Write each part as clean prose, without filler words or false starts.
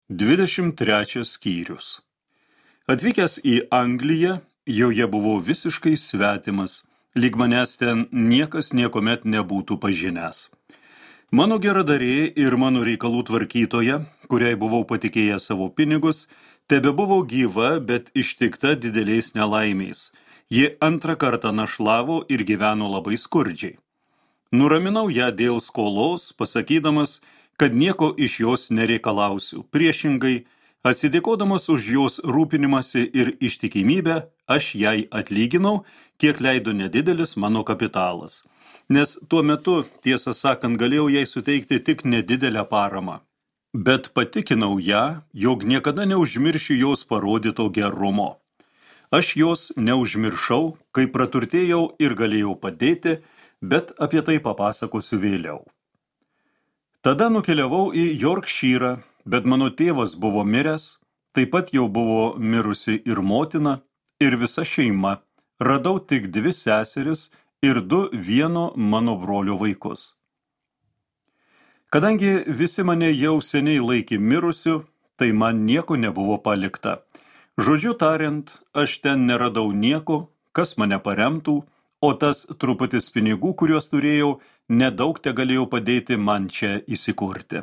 23 skyrius. Atvykęs į Angliją, joje buvau visiškai svetimas, lyg manęs ten niekas niekuomet nebūtų pažinęs. Mano geradarė ir mano reikalų tvarkytoja, kuriai buvau patikėjęs savo pinigus, tebebuvo gyva, bet ištikta dideliais nelaimiais. Ji antrą kartą našlavo ir gyveno labai skurdžiai. Nuraminau ją dėl skolos, pasakydamas, kad nieko iš jos nereikalausiu. Priešingai, atsidėkodamas už jos rūpinimąsi ir ištikimybę, aš jai atlyginau, kiek leido nedidelis mano kapitalas. Nes tuo metu, tiesą sakant, galėjau jai suteikti tik nedidelę paramą. Bet patikinau ją, jog niekada neužmiršiu jos parodyto gerumo. Aš jos neužmiršau, kai praturtėjau ir galėjau padėti, bet apie tai papasakosiu vėliau. Tada nukeliavau į Yorkshyrą, bet mano tėvas buvo miręs, taip pat jau buvo mirusi ir motina, ir visa šeima. Radau tik 2 seseris ir 2 vieno mano brolio vaikus. Kadangi visi mane jau seniai laikė mirusiu, tai man nieko nebuvo palikta. Žodžiu tariant, aš ten neradau nieko, kas mane paremtų, o tas truputis pinigų, kuriuos turėjau, nedaug te galėjau padėti man čia įsikurti.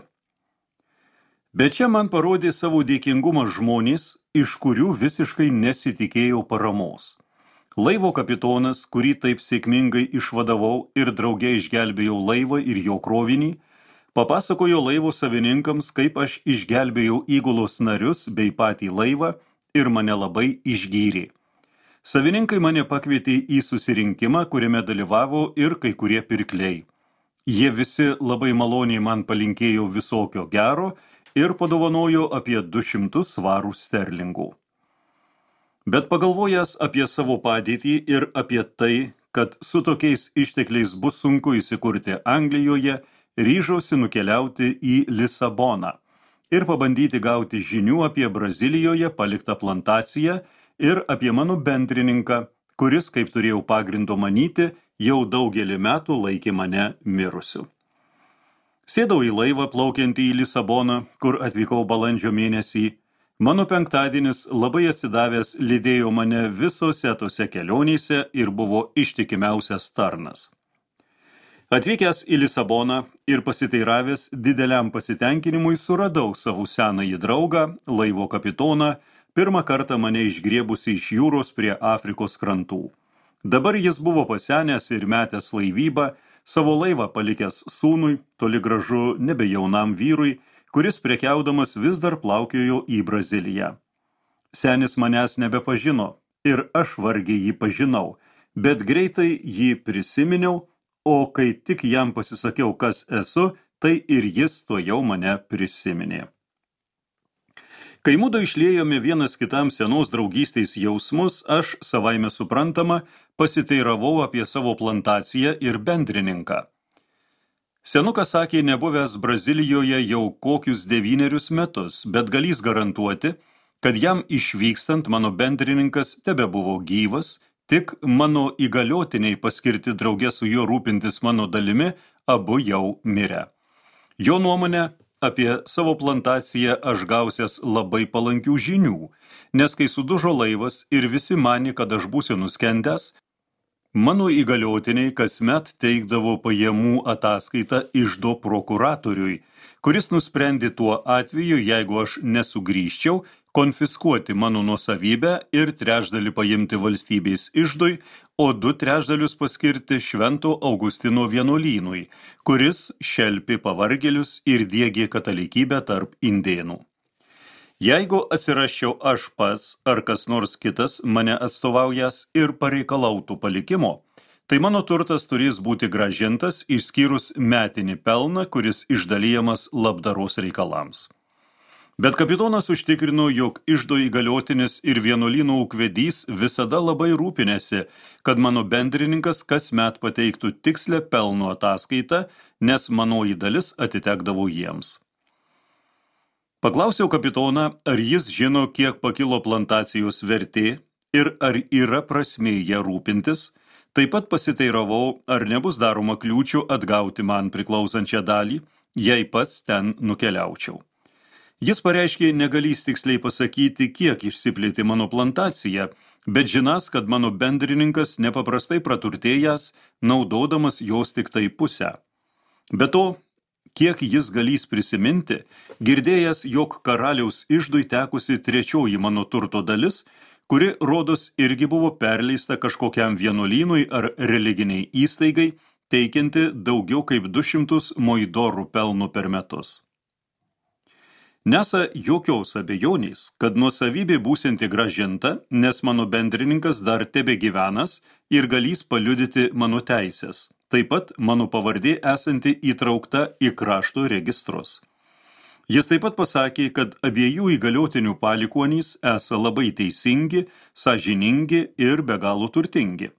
Bet čia man parodė savo dėkingumą žmonės, iš kurių visiškai nesitikėjau paramos. Laivo kapitonas, kurį taip sėkmingai išvadavau ir drauge išgelbėjau laivą ir jo krovinį, papasakojo laivo savininkams, kaip aš išgelbėjau įgulos narius bei patį laivą ir mane labai išgyrė. Savininkai mane pakvietė į susirinkimą, kuriame dalyvavo ir kai kurie pirkliai. Jie visi labai maloniai man palinkėjo visokio gero ir padovanojo apie 200 svarų sterlingų. Bet pagalvojęs apie savo padėtį ir apie tai, kad su tokiais ištekliais bus sunku įsikurti Anglijoje, ryžausi nukeliauti į Lisaboną ir pabandyti gauti žinių apie Brazilijoje paliktą plantaciją ir apie mano bendrininką, kuris, kaip turėjau pagrindo manyti, jau daugelį metų laikė mane mirusiu. Sėdau į laivą plaukiantį į Lisaboną, kur atvykau balandžio mėnesį. Mano penktadienis labai atsidavęs lydėjo mane visose tose kelionėse ir buvo ištikimiausias tarnas. Atvykęs į Lisaboną ir pasiteiravęs dideliam pasitenkinimui suradau savo senąjį draugą, laivo kapitoną, pirmą kartą mane išgriebusi iš jūros prie Afrikos krantų. Dabar jis buvo pasenęs ir metęs laivybą, savo laivą palikęs sūnui, toli gražu nebe jaunam vyrui, kuris prekiaudamas vis dar plaukiojo į Braziliją. Senis manęs nebepažino ir aš vargiai jį pažinau, bet greitai jį prisiminiau, o kai tik jam pasisakiau, kas esu, tai ir jis tuojau mane prisiminė. Kai mudu išliejome vienas kitam senos draugystės jausmus, aš, savaime suprantama, pasiteiravau apie savo plantaciją ir bendrininką. Senukas sakė, nebuvęs Brazilijoje jau kokius 9 metus, bet galys garantuoti, kad jam išvykstant mano bendrininkas tebebuvo gyvas, tik mano įgaliotiniai paskirti drauge su juo rūpintis mano dalimi, abu jau mirę. Jo nuomonė, apie savo plantaciją aš gausias labai palankių žinių, nes kai sudužo laivas ir visi manė, kad aš būsiu nuskendęs, mano įgaliotiniai kasmet teikdavo pajamų ataskaitą iždo prokuratoriui, kuris nusprendė tuo atveju, jeigu aš nesugrįžčiau, konfiskuoti mano nuosavybę ir 1/3 paimti valstybės iždui, o 2/3 paskirti Švento Augustino vienuolynui, kuris šelpė pavargėlius ir diegė katalikybę tarp indėnų. Jeigu atsirasčiau aš pats ar kas nors kitas mane atstovaujas ir pareikalautų palikimo, tai mano turtas turės būti grąžintas išskyrus metinį pelną, kuris išdalijamas labdaros reikalams. Bet kapitonas užtikrino, jog iždo įgaliotinis ir vienuolynų ūkvedys visada labai rūpinėsi, kad mano bendrininkas kasmet pateiktų tikslę pelno ataskaitą, nes manoji dalis atitekdavo jiems. Paklausiau kapitoną, ar jis žino, kiek pakilo plantacijos vertė ir ar yra prasmė ją rūpintis, taip pat pasiteiravau, ar nebus daroma kliūčių atgauti man priklausančią dalį, jei pats ten nukeliaučiau. Jis pareiškė negalys tiksliai pasakyti, kiek išsiplėtė mano plantacija, bet žinas, kad mano bendrininkas nepaprastai praturtėjęs, naudodamas jos tik tai pusę. Be to, kiek jis galys prisiminti, girdėjęs, jog karaliaus iždui tekusi trečioji mano turto dalis, kuri, rodos, irgi buvo perleista kažkokiam vienuolynui ar religiniai įstaigai, teikianti daugiau kaip 200 moidorų pelnų per metus. Nesa jokios abejonės, kad nuosavybė būsianti grąžinta, nes mano bendrininkas dar tebegyvenas ir galys paliudyti mano teisės. Taip pat mano pavardė esanti įtraukta į krašto registrus. Jis taip pat pasakė, kad abiejų įgaliotinių palikuonys esą labai teisingi, sąžiningi ir be galo turtingi.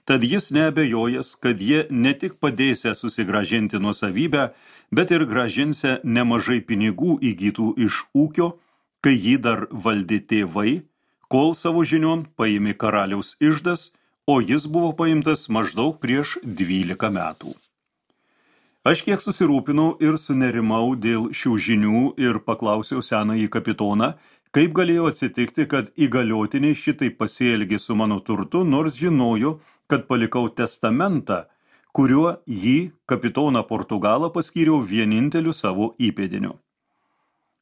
Tad jis neabejojas, kad jie ne tik padėsia susigrąžinti nuosavybę, bet ir grąžinsia nemažai pinigų įgytų iš ūkio, kai jį dar valdė tėvai, kol savo žinion paėmė karaliaus iždas, o jis buvo paimtas maždaug prieš 12 metų. Aš kiek susirūpinau ir sunerimau dėl šių žinių ir paklausiau senąjį kapitoną, kaip galėjo atsitikti, kad įgaliotiniai šitai pasielgė su mano turtu, nors žinojo, kad palikau testamentą, kuriuo jį, kapitoną Portugalą, paskyriau vieninteliu savo įpėdiniu.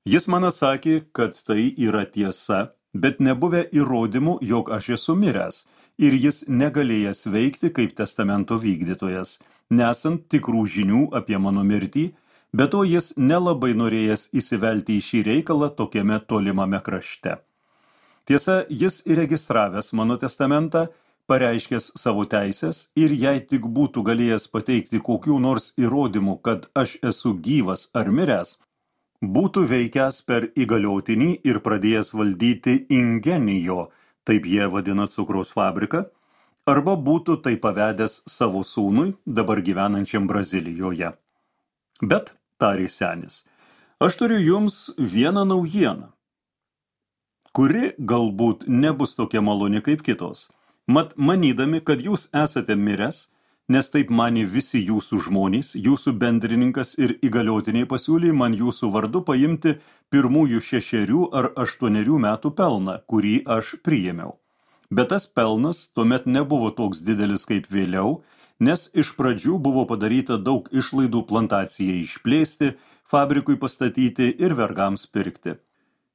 Jis man atsakė, kad tai yra tiesa, bet nebuvę įrodymų, jog aš esu miręs, ir jis negalėjęs veikti kaip testamento vykdytojas, nesant tikrų žinių apie mano mirtį, bet to jis nelabai norėjęs įsivelti į šį reikalą tokiame tolimame krašte. Tiesa, jis įregistravęs mano testamentą, pareiškęs savo teisės ir jei tik būtų galėjęs pateikti kokių nors įrodymų, kad aš esu gyvas ar miręs, būtų veikęs per įgaliotinį ir pradėjęs valdyti Ingenijo, taip jie vadina cukraus fabriką, arba būtų tai pavedęs savo sūnui, dabar gyvenančiam Brazilijoje. Bet, tarė senis, aš turiu jums vieną naujieną, kuri galbūt nebus tokia maloni kaip kitos. Mat, manydami, kad jūs esate miręs, nes taip manė visi jūsų žmonės, jūsų bendrininkas ir įgaliotiniai pasiūlė man jūsų vardu paimti pirmųjų 6 ar 8 metų pelną, kurį aš priėmiau. Bet tas pelnas tuomet nebuvo toks didelis kaip vėliau, nes iš pradžių buvo padaryta daug išlaidų plantacijai išplėsti, fabrikui pastatyti ir vergams pirkti.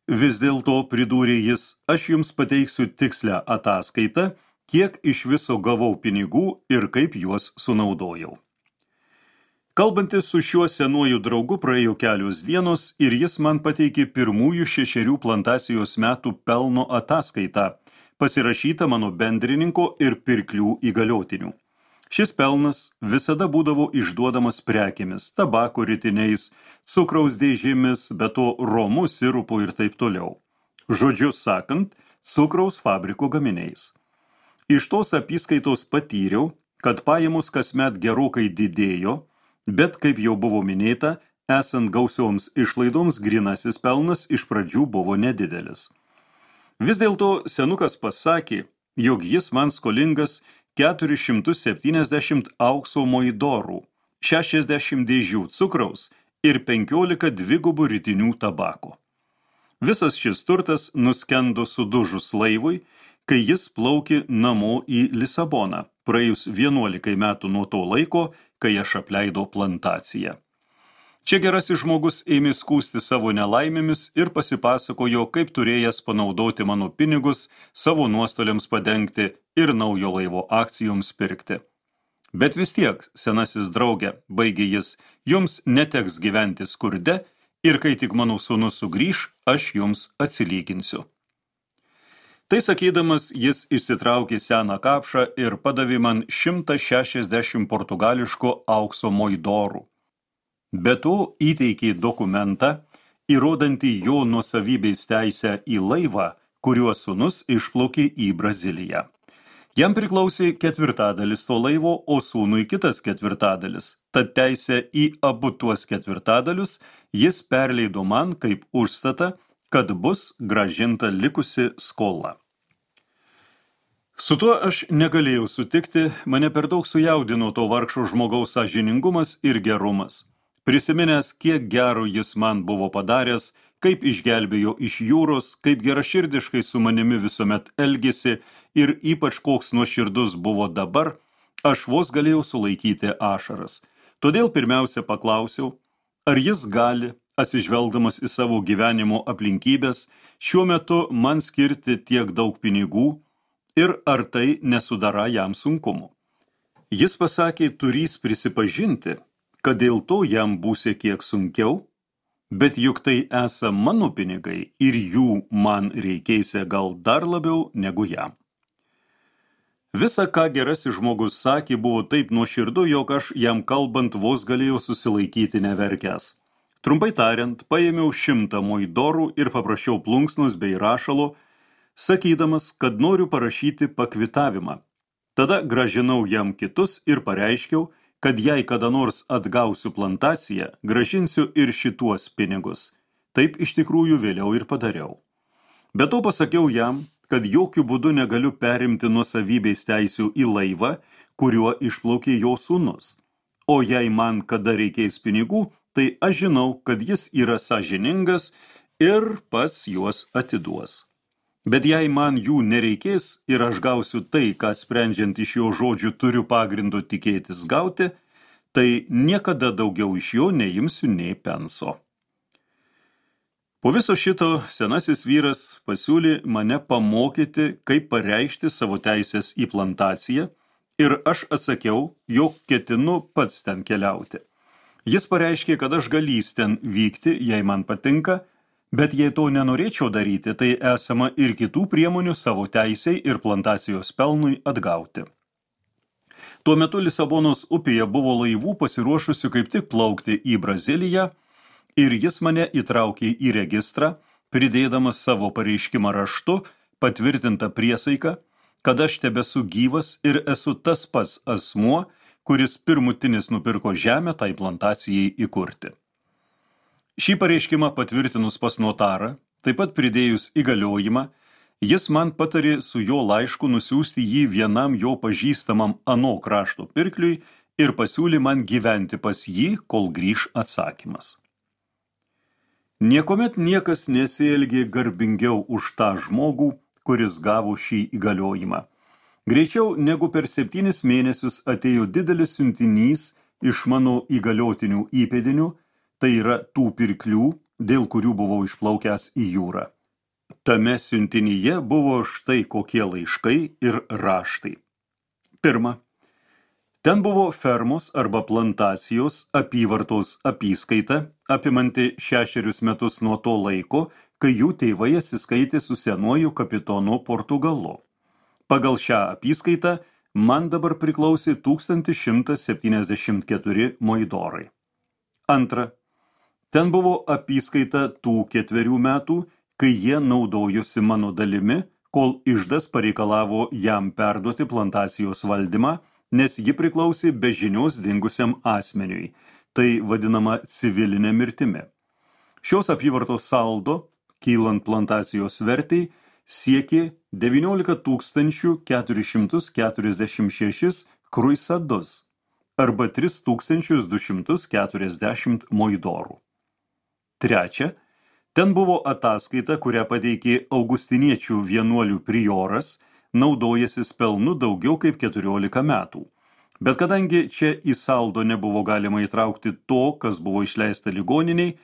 Vis dėlto, pridūrė jis, aš jums pateiksiu tikslią ataskaitą, kiek iš viso gavau pinigų ir kaip juos sunaudojau. Kalbantis su šiuo senuoju draugu praėjo kelios dienos ir jis man pateikė pirmųjų 6 plantacijos metų pelno ataskaitą, pasirašytą mano bendrininko ir pirklių įgaliotinių. Šis pelnas visada būdavo išduodamas prekėmis, tabako ritiniais, cukraus dėžėmis, be to romu, sirupu ir taip toliau. Žodžiu sakant, cukraus fabriko gaminiais. Iš tos apyskaitos patyriau, kad pajamos kasmet gerokai didėjo, bet, kaip jau buvo minėta, esant gausioms išlaidoms grynasis pelnas iš pradžių buvo nedidelis. Vis dėlto senukas pasakė, jog jis man skolingas 470 aukso moidorų, 60 dėžių cukraus ir 15 dvigubų ritinių tabako. Visas šis turtas nuskendo sudužus laivui, kai jis plaukė namo į Lisaboną, praėjus 11 metų nuo to laiko, kai aš apleidau plantaciją. Čia gerasis žmogus ėmė skųsti savo nelaimėmis ir pasipasakojo, kaip turėjęs panaudoti mano pinigus savo nuostoliams padengti ir naujo laivo akcijoms pirkti. Bet vis tiek, senasis draugė, baigė jis, jums neteks gyventi skurde ir kai tik mano sūnus sugrįš, aš jums atsilyginsiu. Tai sakydamas, jis išsitraukė seną kapšą ir padavė man 160 portugališko aukso moidorų. Be to įteikė dokumentą, įrodantį jo nuosavybės teisę į laivą, kuriuo sūnus išplaukė į Braziliją. Jam priklausė 1/4 to laivo, o sūnui kitas 1/4, tad teisę į abu tuos 1/4 jis perleido man kaip užstatą, kad bus grąžinta likusi skola. Su tuo aš negalėjau sutikti, mane per daug sujaudino to vargšo žmogaus sąžiningumas ir gerumas. Prisiminęs, kiek gero jis man buvo padaręs, kaip išgelbėjo iš jūros, kaip geraširdiškai su manimi visuomet elgėsi ir ypač koks nuoširdus buvo dabar, aš vos galėjau sulaikyti ašaras. Todėl pirmiausia paklausiau, ar jis gali, atsižvelgdamas į savo gyvenimo aplinkybės, šiuo metu man skirti tiek daug pinigų ir ar tai nesudara jam sunkumų. Jis pasakė, turys prisipažinti, kad dėl to jam būsi kiek sunkiau, bet juk tai esą mano pinigai ir jų man reikėsia gal dar labiau negu jam. Visa, ką gerasis žmogus sakė, buvo taip nuoširdu, jog aš jam kalbant vos galėjau susilaikyti neverkęs. Trumpai tariant, paėmiau 100 moidorų ir paprašiau plunksnos bei rašalo, sakydamas, kad noriu parašyti pakvitavimą. Tada grąžinau jam kitus ir pareiškiau, kad jei kada nors atgausiu plantaciją, grąžinsiu ir šituos pinigus. Taip iš tikrųjų vėliau ir padariau. Be to pasakiau jam, kad jokių būdų negaliu perimti nuosavybės teisių į laivą, kuriuo išplaukė jo sūnus. O jei man kada reikės pinigų, tai aš žinau, kad jis yra sąžiningas ir pats juos atiduos. Bet jei man jų nereikės ir aš gausiu tai, ką sprendžiant iš jo žodžių turiu pagrindo tikėtis gauti, tai niekada daugiau iš jo neimsiu nei penso. Po viso šito senasis vyras pasiūlė mane pamokyti, kaip pareikšti savo teisės į plantaciją ir aš atsakiau, jog ketinu pats ten keliauti. Jis pareiškė, kad aš galys ten vykti, jei man patinka, bet jei to nenorėčiau daryti, tai esama ir kitų priemonių savo teisei ir plantacijos pelnui atgauti. Tuo metu Lisabonos upėje buvo laivų pasiruošusių kaip tik plaukti į Braziliją ir jis mane įtraukė į registrą, pridėdamas savo pareiškimą raštu, patvirtintą priesaiką, kad aš tebesu gyvas ir esu tas pats asmuo, kuris pirmutinis nupirko žemę tai plantacijai įkurti. Šį pareiškimą patvirtinus pas notarą, taip pat pridėjus įgaliojimą, jis man patarė su jo laišku nusiųsti jį vienam jo pažįstamam ano krašto pirkliui ir pasiūlė man gyventi pas jį, kol grįš atsakymas. Niekuomet niekas nesielgė garbingiau už tą žmogų, kuris gavo šį įgaliojimą. Greičiau negu per 7 mėnesius atėjo didelis siuntinys iš mano įgaliotinių įpėdinių, tai yra tų pirklių, dėl kurių buvau išplaukęs į jūrą. Tame siuntinyje buvo štai kokie laiškai ir raštai. Pirma, ten buvo fermos arba plantacijos apyvartos apyskaita, apimanti 6 metus nuo to laiko, kai jų tėvai atsiskaitė su senuoju kapitonu Portugalu. Pagal šią apyskaitą man dabar priklausė 1174 moidorai. Antra, ten buvo apyskaita tų 4 metų, kai jie naudojosi mano dalimi, kol iždas pareikalavo jam perduoti plantacijos valdymą, nes ji priklausė be žinios dingusiam asmeniui, tai vadinama civilinė mirtimi. Šios apyvartos saldo, kylant plantacijos vertei, siekė 19 446 kruisadus arba 3240 moidorų. Trečia, ten buvo ataskaita, kurią pateikė augustiniečių vienuolių prioras, naudojasis pelnu daugiau kaip 14 metų. Bet kadangi čia į saldo nebuvo galima įtraukti to, kas buvo išleista ligoniniai,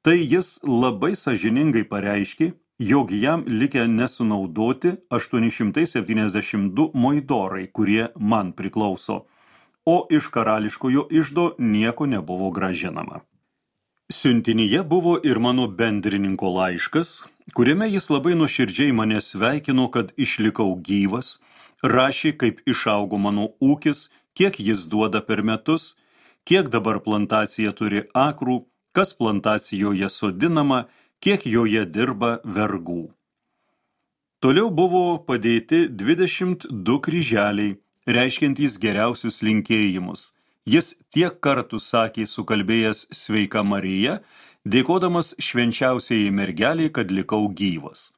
tai jis labai sąžiningai pareiškė, jog jam likę nesunaudoti 872 moidorai, kurie man priklauso, o iš karališkojo iždo nieko nebuvo grąžinama. Siuntinyje buvo ir mano bendrininko laiškas, kuriame jis labai nuoširdžiai mane sveikino, kad išlikau gyvas, rašė, kaip išaugo mano ūkis, kiek jis duoda per metus, kiek dabar plantacija turi akrų, kas plantacijoje sodinama, kiek joje dirba vergų. Toliau buvo padėti 22 kryželiai, reiškiantys geriausius linkėjimus. Jis tiek kartų sakė sukalbėjęs Sveika Marija, dėkodamas švenčiausiai mergeliai, kad likau gyvas.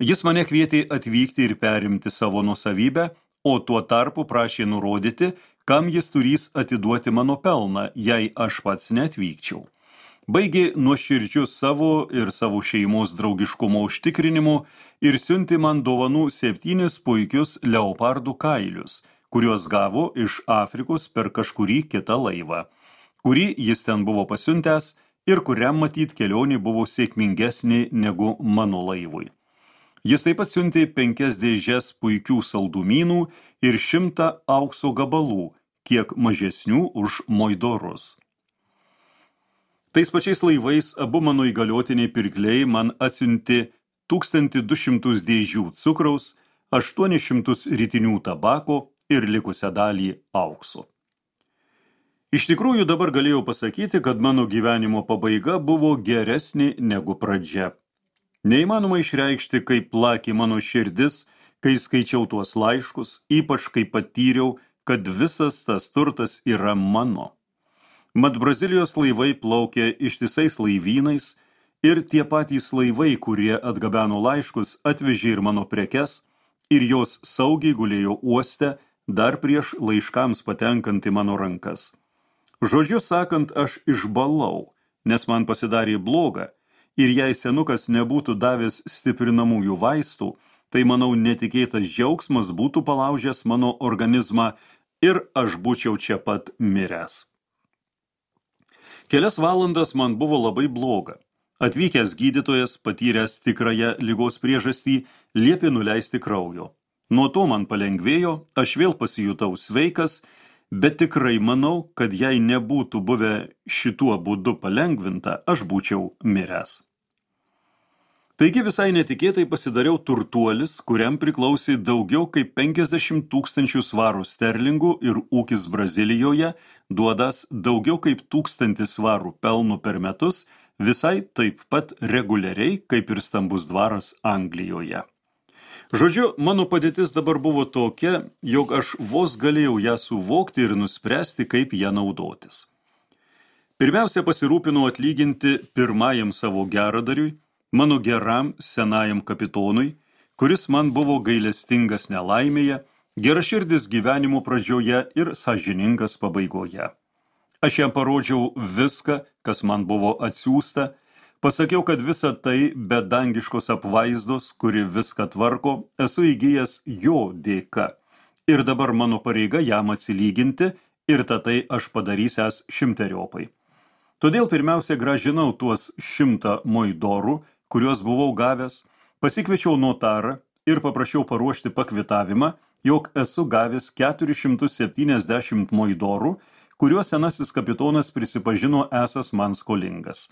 Jis mane kvietė atvykti ir perimti savo nuosavybę, o tuo tarpu prašė nurodyti, kam jis turės atiduoti mano pelną, jei aš pats neatvykčiau. Baigė nuoširdžiu savo ir savo šeimos draugiškumo užtikrinimu ir siuntė man dovanų 7 puikius leopardų kailius, kuriuos gavo iš Afrikos per kažkurį kitą laivą, kurį jis ten buvo pasiuntęs ir kuriam matyt kelionė buvo sėkmingesnė negu mano laivui. Jis taip pat siuntė 5 dėžes puikių saldumynų ir 100 aukso gabalų, kiek mažesnių už moidorus. Tais pačiais laivais abu mano įgaliotiniai pirkliai man atsiuntė 1200 dėžių cukraus, 800 ritinių tabako ir likusią dalį aukso. Iš tikrųjų dabar galėjau pasakyti, kad mano gyvenimo pabaiga buvo geresnė negu pradžia. Neįmanoma išreikšti, kaip plakė mano širdis, kai skaičiau tuos laiškus, ypač kai patyriau, kad visas tas turtas yra mano. Mat Brazilijos laivai plaukė ištisais laivynais ir tie patys laivai, kurie atgabeno laiškus, atvežė ir mano prekes ir jos saugiai gulėjo uoste dar prieš laiškams patenkant į mano rankas. Žodžiu sakant, aš išbalau, nes man pasidarė bloga ir jei senukas nebūtų davęs stiprinamųjų vaistų, tai manau netikėtas džiaugsmas būtų palaužęs mano organizmą ir aš būčiau čia pat miręs. Kelias valandas man buvo labai bloga. Atvykęs gydytojas, patyręs tikrąją ligos priežastį, liepė nuleisti kraujo. Nuo to man palengvėjo, aš vėl pasijutau sveikas, bet tikrai manau, kad jei nebūtų buvę šituo būdu palengvinta, aš būčiau miręs. Taigi visai netikėtai pasidariau turtuolis, kuriam priklausė daugiau kaip 50 000 svarų sterlingų ir ūkis Brazilijoje, duodas daugiau kaip 1000 svarų pelnų per metus, visai taip pat reguliariai kaip ir stambus dvaras Anglijoje. Žodžiu, mano padėtis dabar buvo tokia, jog aš vos galėjau ją suvokti ir nuspręsti, kaip ją naudotis. Pirmiausia, pasirūpinau atlyginti pirmajam savo geradariui, mano geram senajam kapitonui, kuris man buvo gailestingas nelaimėje, geraširdis gyvenimo pradžioje ir sąžiningas pabaigoje. Aš jam parodžiau viską, kas man buvo atsiųsta, pasakiau, kad visa tai be dangiškos apvaizdos, kuri viską tvarko, esu įgijęs jo dėka. Ir dabar mano pareiga jam atsilyginti ir tai aš padarysęs 100-eriopai. Todėl pirmiausia grąžinau tuos 100 moidorų, kuriuos buvau gavęs, pasikviečiau notarą ir paprašiau paruošti pakvitavimą, jog esu gavęs 470 moidorų, kuriuos senasis kapitonas prisipažino esas man skolingas.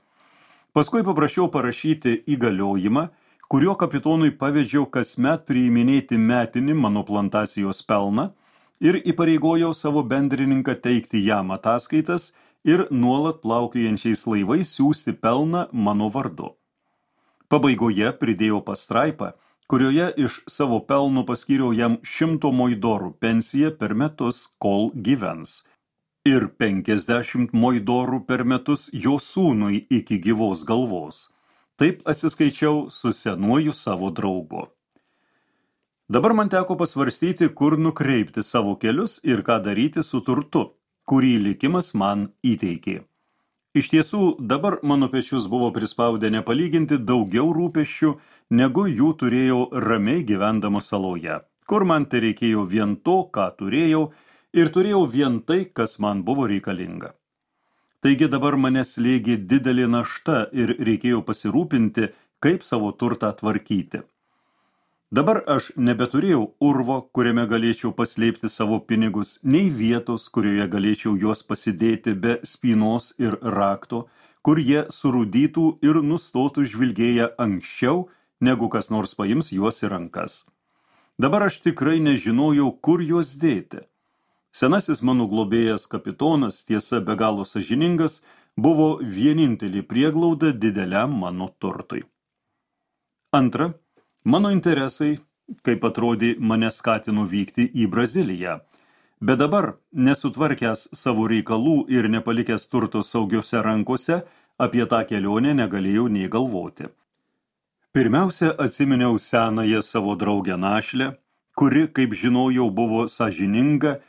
Paskui paprašiau parašyti įgaliojimą, kurio kapitonui pavedžiau kasmet priiminėti metinį mano plantacijos pelną ir įpareigojau savo bendrininką teikti jam ataskaitas ir nuolat plaukiojančiais laivais siųsti pelną mano vardu. Pabaigoje pridėjau pastraipą, kurioje iš savo pelno paskyriau jam 100 moidorų pensiją per metus, kol gyvens, ir 50 moidorų per metus jo sūnui iki gyvos galvos. Taip atsiskaičiau su senuoju savo draugu. Dabar man teko pasvarstyti, kur nukreipti savo kelius ir ką daryti su turtu, kurį likimas man įteikė. Iš tiesų, dabar mano pečius buvo prispaudę nepalyginti daugiau rūpesčių, negu jų turėjau ramiai gyvendama saloje, kur man tai reikėjo vien to, ką turėjau, ir turėjau vien tai, kas man buvo reikalinga. Taigi dabar mane slėgė didelė našta ir reikėjo pasirūpinti, kaip savo turtą tvarkyti. Dabar aš nebeturėjau urvo, kuriame galėčiau paslėpti savo pinigus, nei vietos, kurioje galėčiau juos pasidėti be spynos ir rakto, kur jie surūdytų ir nustotų žvilgėję anksčiau, negu kas nors paims juos į rankas. Dabar aš tikrai nežinojau, kur juos dėti. Senasis mano globėjas kapitonas, tiesa be galo sąžiningas, buvo vienintelė prieglauda dideliam mano turtui. Antra, mano interesai, kaip atrodė, mane skatino vykti į Braziliją, bet dabar, nesutvarkęs savo reikalų ir nepalikęs turto saugiose rankose, apie tą kelionę negalėjau nei galvoti. Pirmiausia, atsiminiau senąją savo draugę našlę, kuri, kaip žinojau, buvo sąžininga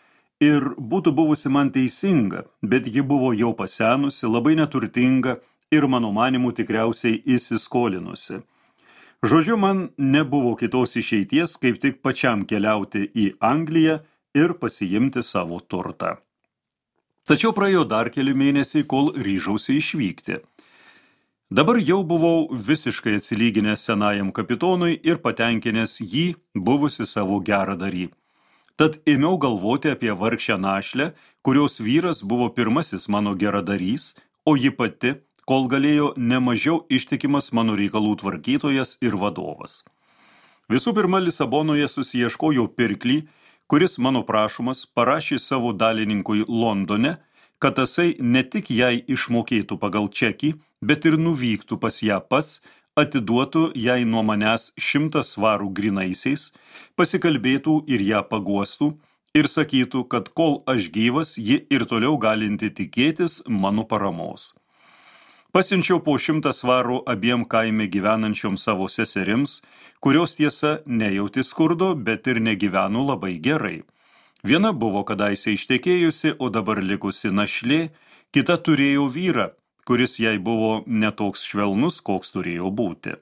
ir būtų buvusi man teisinga, bet ji buvo jau pasenusi, labai neturtinga ir mano manimu tikriausiai įsiskolinusi. Žodžiu, man nebuvo kitos išeities, kaip tik pačiam keliauti į Angliją ir pasiimti savo turtą. Tačiau praėjo dar keli mėnesiai, kol ryžausi išvykti. Dabar jau buvau visiškai atsilyginęs senajam kapitonui ir patenkinęs jį buvusi savo geradarį. Tad ėmiau galvoti apie vargšę našlę, kurios vyras buvo pirmasis mano geradarys, o ji pati, kol galėjo, nemažiau ištikimas mano reikalų tvarkytojas ir vadovas. Visų pirma, Lisabonoje susiieškojo pirklį, kuris mano prašomas parašė savo dalininkui Londone, kad tasai ne tik jai išmokėtų pagal čekį, bet ir nuvyktų pas ją pats, atiduotų jai nuo manęs 100 svarų grynaisiais, pasikalbėtų ir ją paguostų ir sakytų, kad kol aš gyvas, ji ir toliau galinti tikėtis mano paramos. Pasiunčiau po 100 svarų abiem kaime gyvenančiom savo seserims, kurios tiesa nejauti skurdo, bet ir negyveno labai gerai. Viena buvo kadaise ištekėjusi, o dabar likusi našlė, kita turėjo vyrą, kuris jai buvo netoks švelnus, koks turėjo būti.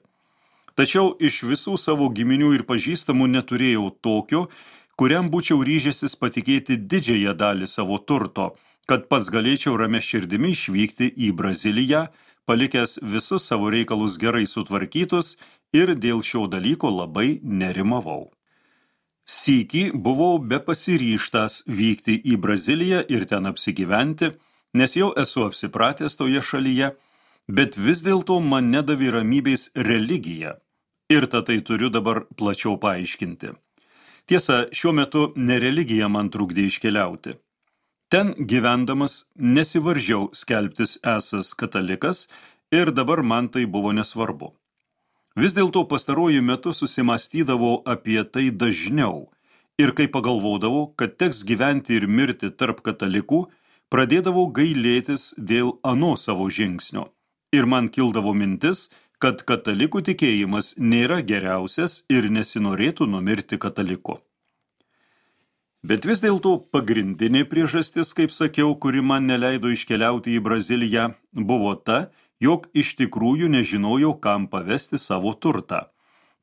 Tačiau iš visų savo giminių ir pažįstamų neturėjau tokio, kuriam būčiau ryžęsis patikėti didžiąją dalį savo turto, kad pats galėčiau ramia širdimi išvykti į Braziliją, palikęs visus savo reikalus gerai sutvarkytus ir dėl šio dalyko labai nerimavau. Sykį buvau bepasiryžtas vykti į Braziliją ir ten apsigyventi, nes jau esu apsipratęs toje šalyje, bet vis dėlto man nedavė ramybės religija ir tai turiu dabar plačiau paaiškinti. Tiesa, šiuo metu ne religija man trukdė iškeliauti. Ten gyvendamas nesivaržiau skelbtis esąs katalikas ir dabar man tai buvo nesvarbu. Vis dėlto pastaruoju metu susimąstydavau apie tai dažniau ir kai pagalvodavau, kad teks gyventi ir mirti tarp katalikų, pradėdavau gailėtis dėl ano savo žingsnio ir man kildavo mintis, kad katalikų tikėjimas nėra geriausias ir nesinorėtų numirti kataliku. Bet vis dėlto pagrindinė priežastis, kaip sakiau, kuri man neleido iškeliauti į Braziliją, buvo ta, jog iš tikrųjų nežinojau, kam pavesti savo turtą.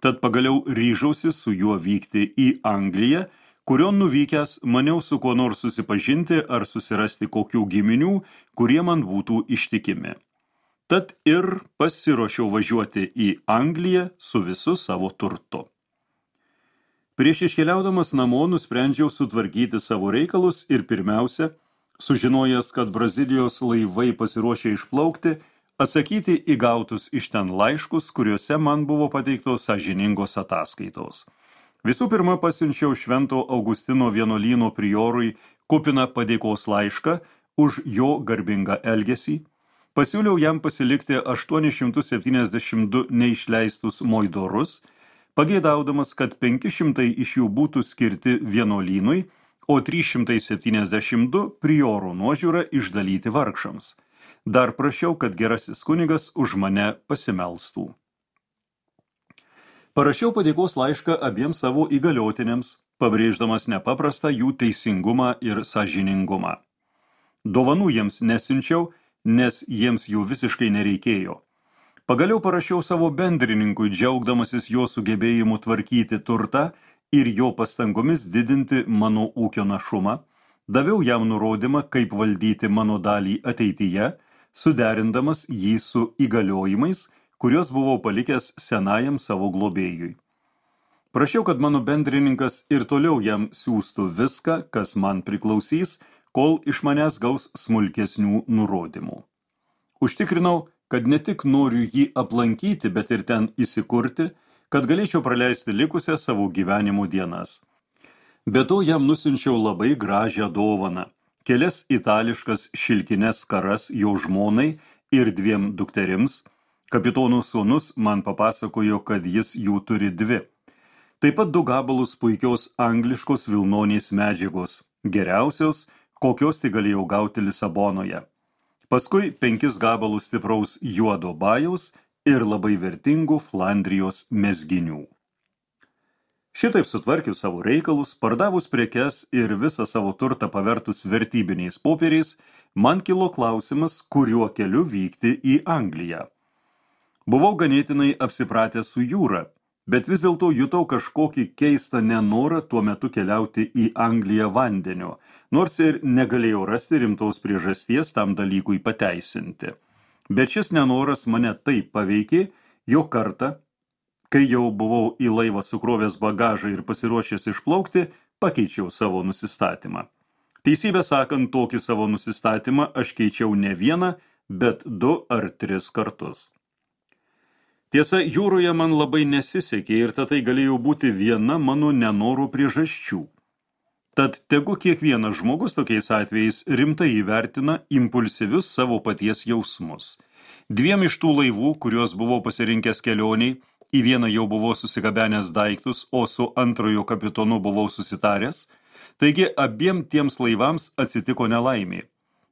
Tad pagaliau ryžausi su juo vykti į Angliją, kurion nuvykęs maniau su kuo nors susipažinti ar susirasti kokių giminių, kurie man būtų ištikimi. Tad ir pasiruošiau važiuoti į Angliją su visu savo turtu. Prieš iškeliaudamas namo nusprendžiau sutvarkyti savo reikalus ir pirmiausia, sužinojęs, kad Brazilijos laivai pasiruošė išplaukti, atsakyti į gautus iš ten laiškus, kuriuose man buvo pateiktos sąžiningos ataskaitos. Visų pirma, pasiunčiau Švento Augustino vienuolyno priorui kupiną padėkos laišką už jo garbingą elgesį, pasiūliau jam pasilikti 872 neišleistus moidorus, pageidaudamas, kad 500 iš jų būtų skirti vienuolynui, o 372 priorų nuožiūra išdalyti vargšams. Dar prašiau, kad gerasis kunigas už mane pasimelstų. Parašiau padėkos laišką abiems savo įgaliotiniams, pabrėždamas nepaprastą jų teisingumą ir sąžiningumą. Dovanų jiems nesiunčiau, nes jiems jų visiškai nereikėjo. Pagaliau parašiau savo bendrininkui, džiaugdamasis jo sugebėjimu tvarkyti turtą ir jo pastangomis didinti mano ūkio našumą, daviau jam nurodymą, kaip valdyti mano dalį ateityje, suderindamas jį su įgaliojimais, kuriuos buvau palikęs senajam savo globėjui. Prašiau, kad mano bendrininkas ir toliau jam siųstų viską, kas man priklausys, kol iš manęs gaus smulkesnių nurodymų. Užtikrinau, kad ne tik noriu jį aplankyti, bet ir ten įsikurti, kad galėčiau praleisti likusią savo gyvenimo dienas. Be to jam nusiunčiau labai gražią dovaną, kelias itališkas šilkines skaras jo žmonai ir 2 dukterims. Kapitono sūnus man papasakojo, kad jis jų turi 2. Taip pat 2 gabalus puikios angliškos vilnonės medžiagos, geriausios, kokios tai galėjau gauti Lisabonoje. Paskui 5 gabalus stipraus juodo bajaus ir labai vertingų Flandrijos mezginių. Šitaip sutvarkius savo reikalus, pardavus prekes ir visą savo turtą pavertus vertybiniais popieriais, man kilo klausimas, kuriuo keliu vykti į Angliją. Buvau ganėtinai apsipratęs su jūra, bet vis dėlto jutau kažkokį keistą nenorą tuo metu keliauti į Angliją vandeniu, nors ir negalėjau rasti rimtos priežasties tam dalykui pateisinti. Bet šis nenoras mane taip paveikė, jog kartą, kai jau buvau į laivą sukrovęs bagažą ir pasiruošęs išplaukti, pakeičiau savo nusistatymą. Teisybę sakant, tokį savo nusistatymą aš keičiau ne vieną, bet 2 ar 3 kartus. Tiesa, jūroje man labai nesisekė ir tai galėjo būti viena mano nenoro priežasčių. Tad tegu kiekvienas žmogus tokiais atvejais rimtai įvertina impulsyvius savo paties jausmus. 2 iš tų laivų, kuriuos buvau pasirinkęs kelioniai, į vieną jau buvau susigabenęs daiktus, o su antrojo kapitonu buvau susitaręs, taigi abiem tiems laivams atsitiko nelaimė.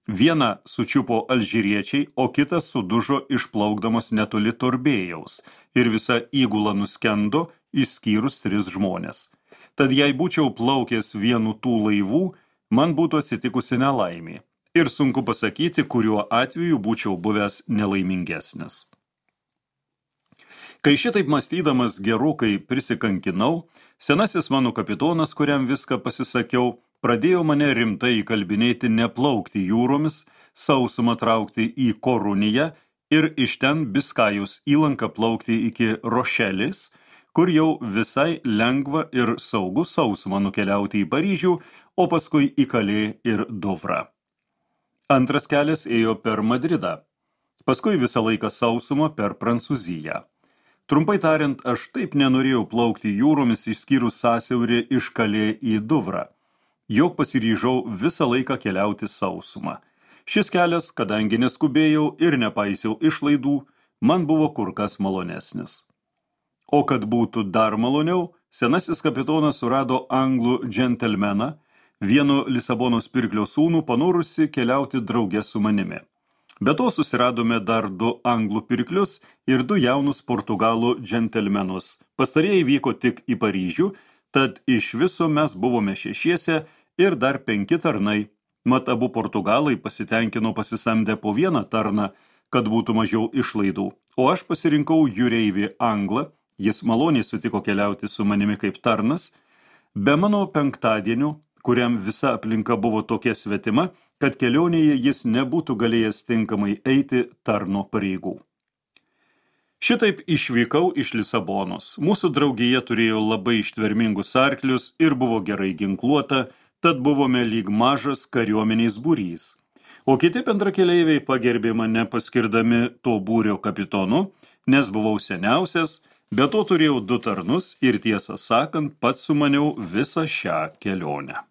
Vieną sučiupo alžyriečiai, o kitas sudužo išplaukdamas netoli Torbėjaus ir visa įgula nuskendo, išskyrus 3 žmonės. Tad jei būčiau plaukęs vienu tų laivų, man būtų atsitikusi nelaimė. Ir sunku pasakyti, kuriuo atveju būčiau buvęs nelaimingesnis. Kai šitaip mąstydamas gerokai prisikankinau, senasis mano kapitonas, kuriam viską pasisakiau, pradėjo mane rimtai įkalbinėti neplaukti jūromis, sausumą traukti į Koruniją ir iš ten Biskajos įlanką plaukti iki Rošelės, kur jau visai lengva ir saugu sausumą nukeliauti į Paryžių, o paskui į Kalė ir Dovrą. Antras kelias ėjo per Madridą, paskui visą laiką sausumą per Prancūziją. Trumpai tariant, aš taip nenorėjau plaukti jūromis išskyrus sąsiaurį iš Kalė į Dovrą, jog pasiryžau visą laiką keliauti sausumą. Šis kelias, kadangi neskubėjau ir nepaisiau išlaidų, man buvo kur kas malonesnis. O kad būtų dar maloniau, senasis kapitonas surado anglų džentelmeną, vieno Lisabonos pirklio sūnų, panorusi keliauti drauge su manimi. Be to susiradome dar 2 anglų pirklius ir 2 jaunus portugalų džentelmenus. Pastarieji vyko tik į Paryžių, tad iš viso mes buvome 6 ir dar 5 tarnai. Mat abu portugalai pasitenkino pasisamdę po 1 tarną, kad būtų mažiau išlaidų. O aš pasirinkau jūreivį anglą, jis maloniai sutiko keliauti su manimi kaip tarnas, be mano penktadienių, kuriam visa aplinka buvo tokia svetima, kad kelionėje jis nebūtų galėjęs tinkamai eiti tarno pareigų. Šitaip išvykau iš Lisabonos. Mūsų draugija turėjo labai ištvermingus arklius ir buvo gerai ginkluota, tad buvome lyg mažas kariuomenės būrys. O kiti bendrakeleiviai pagerbė mane paskirdami to būrio kapitonu, nes buvau seniausias, be to turėjau 2 tarnus ir tiesą sakant, pats sumaniau visą šią kelionę.